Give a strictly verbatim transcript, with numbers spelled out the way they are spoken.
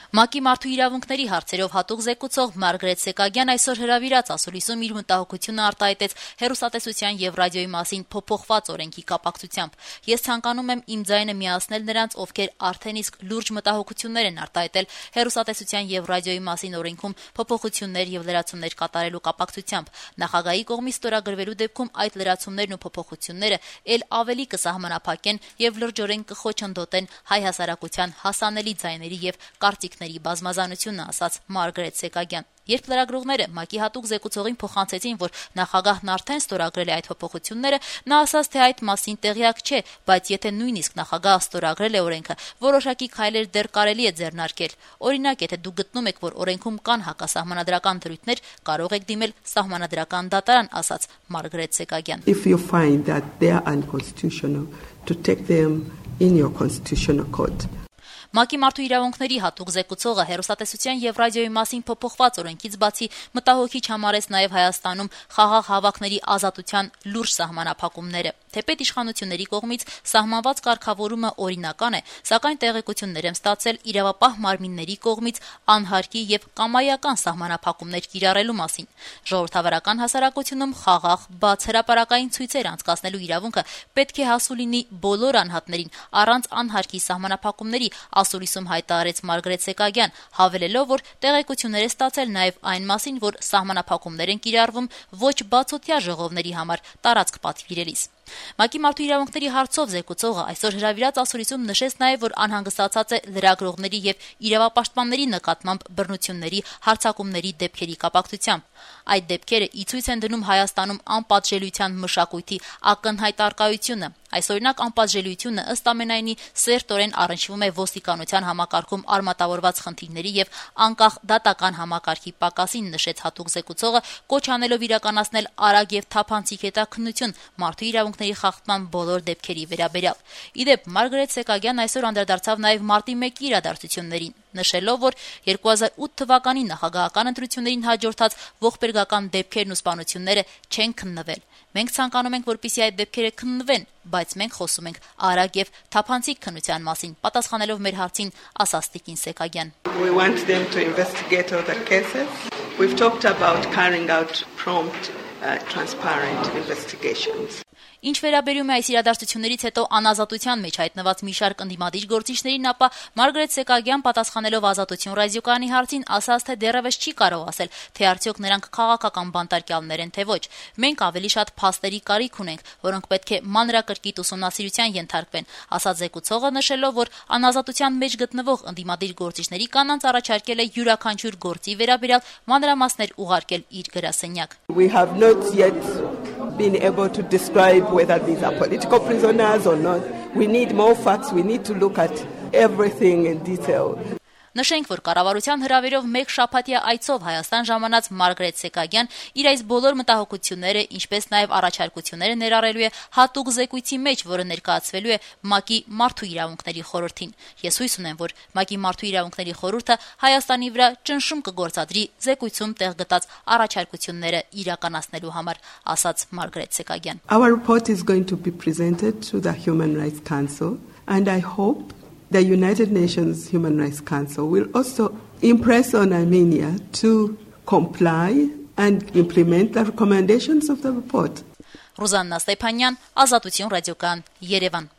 ՄԱԿ-ի մարդու իրավունքների հարցերով հատուկ զեկուցող Մարգարետ Սեկագյան այսօր հրավիրած ասուլիսում իր մտահոգությունը արտահայտեց հեռուստատեսության եւ ռադիոյի մասին փոփոխված օրենքի կապակցությամբ։ Ես ցանկանում եմ իմ ձայնը միացնել նրանց, ովքեր արդեն իսկ լուրջ մտահոգություններ են արտահայտել հեռուստատեսության եւ ռադիոյի մասին օրենքում փոփոխություններ եւ լրացումներ կատարելու կապակցությամբ։ Նախագահի կողմից ստորագրվելու դեպքում այդ լրացումներն ու փոփոխությունները ել ավելի կսահմանափակեն եւ լրջորեն կխոչընդոտեն հայ հասարակության հասանելի ձայների եւ կարծիքների բազմազանությունը, ասաց Մարգարետ Սեկագյան։ Երբ լրագրողները ՄԱԿ-ի հատուկ զեկուցողին փոխանցեցին, որ նախագահն արդեն ստորագրել է այդ փոփոխությունները, նա ասաց, թե այդ մասին տեղյակ չէ, բայց եթե նույնիսկ նախագահը ստորագրել է օրենքը, որոշակի քայլեր դեռ կարելի է ձեռնարկել։ Օրինակ, եթե դուք գտնում եք, որ օրենքում կան հակասահմանադրական դրույթներ, կարող եք դիմել սահմանադրական դատարան, ասաց Մարգարետ Սեկագյան։ If you find that they are unconstitutional, to take them in your constitutional court. ՄԱԿ-ի մարդու իրավունքների հատուկ զեկուցողը հեռուստատեսության եւ ռադիոյի մասին փոփոխված օրենքից բացի մտահոգիչ համարեց նաեւ Հայաստանում խաղաղ հավաքների ազատության լուրջ սահմանափակումները։ Թեպետ իշխանությունների կողմից սահմանված կարգավորումը օրինական է, սակայն տեղեկություններ եմ ստացել իրավապահ մարմինների կողմից անհարկի եւ կամայական սահմանափակումներ կիրառելու մասին։ Ժողովրդավարական հասարակությունում խաղաղ, բաց հրապարակային ցույցեր անցկացնելու իրավունքը պետք է հասու լինի բոլոր անհատներին առանց անհարկի սահմանափակումների, ասուլիսում հայտարարեց Մարգարետ Սեկագյան, հավելելով, որ տեղեկություններ է ստացել նաև այն մասին, որ սահմանափակումներ են կիրառվում ոչ բացօթյա ժողովների համար տարածք պատվիրելիս։ ՄԱԿ-ի մարդու իրավունքների հարցով զեկուցողը այսօր հրավիրած ասուլիսում նշեց նաև, որ անհանգստացած է լրագրողների եւ իրավապաշտպանների նկատմամբ բռնությունների, հարձակումների դեպքերի կապակցությամբ։ Այդ դեպքերը ի ցույց են դնում Հայաստանում անպատժելիության մշակույթի ակնհայտ առկայությունը։ Այսօրինակ անպատժելիությունը ըստ ամենայնի սերտորեն առնչվում է ոստիկանության համակարգում արմատավորված խնդիրների եւ անկախ դատական համակարգի պակասին, նշեց հատուկ զեկուցողը, կոչ անելով իրականացնել արագ եւ թափանցիկ հետաքննություն մարդու իրավունքների խախտման բոլոր դեպքերի վերաբերյալ։ Իդեպ Մարգարետ Սեկագյան այսօր անդրադարձավ նաեւ մարտի մեկի իրադարձություններին, նշելով, որ երկու հազար ութ թվականի նախագահական ընտրություններին հաջորդած ողբերգական դեպքերն ու սպանությունները չեն քննվել։ Մենք ցանկանում ենք, որպեսզի այդ դեպքերը քննվեն, բայց մենք խոսում ենք արագ եւ թափանցիկ քննության մասին, պատասխանելով մեր հարցին, ասաց Տիկին Սեկագյան։ We want them to investigate all the cases. We've talked about carrying out prompt, uh, transparent investigations. Ինչ վերաբերում է այս իրադարձություններից հետո անազատության մեջ հայտնված մի շարք ընդդիմադիր գործիչներին, ապա Մարգարետ Սեկագյան պատասխանելով Ազատություն ռադիոկայանի հարցին ասաց, թե դեռևս չի կարող ասել, թե արդյոք նրանք քաղաքական բանտարկյալներ են, թե ոչ։ Մենք ավելի շատ փաստերի կարիք ունենք, որոնք պետք է մանրակրկիտ ուսումնասիրության ենթարկվեն, ասաց զեկուցողը, նշելով, որ անազատության մեջ գտնվող ընդդիմադիր գործիչների կանանց առաջարկել է յուրաքանչյուր գործի վերաբերյալ մանրամասներ ուղարկել իր գրասենյակ։ We have not yet been able to describe whether these are political prisoners or not. We need more facts. We need to look at everything in detail. Նշենք, որ կառավարության հրավերով մեկ շաբաթյա այցով Հայաստան ժամանած Մարգարետ Սեկագյան իր այս բոլոր մտահոգությունները, ինչպես նաև առաջարկությունները ներառելու է հատուկ զեկույցի մեջ, որը ներկայացվելու է ՄԱԿ-ի մարդու իրավունքների խորհրդին։ Ես հույս ունեմ, որ ՄԱԿ-ի մարդու իրավունքների խորհուրդը Հայաստանի վրա ճնշում կգործադրի զեկույցում տեղ գտած առաջարկությունները իրականացնելու համար, ասաց Մարգարետ Սեկագյան։ Our report is going to be presented to the Human Rights Council, and I hope the United Nations Human Rights Council will also impress on Armenia to comply and implement the recommendations of the report. Ռուզաննա Ստեփանյան, Ազատություն ռադիոկայան, Երևան։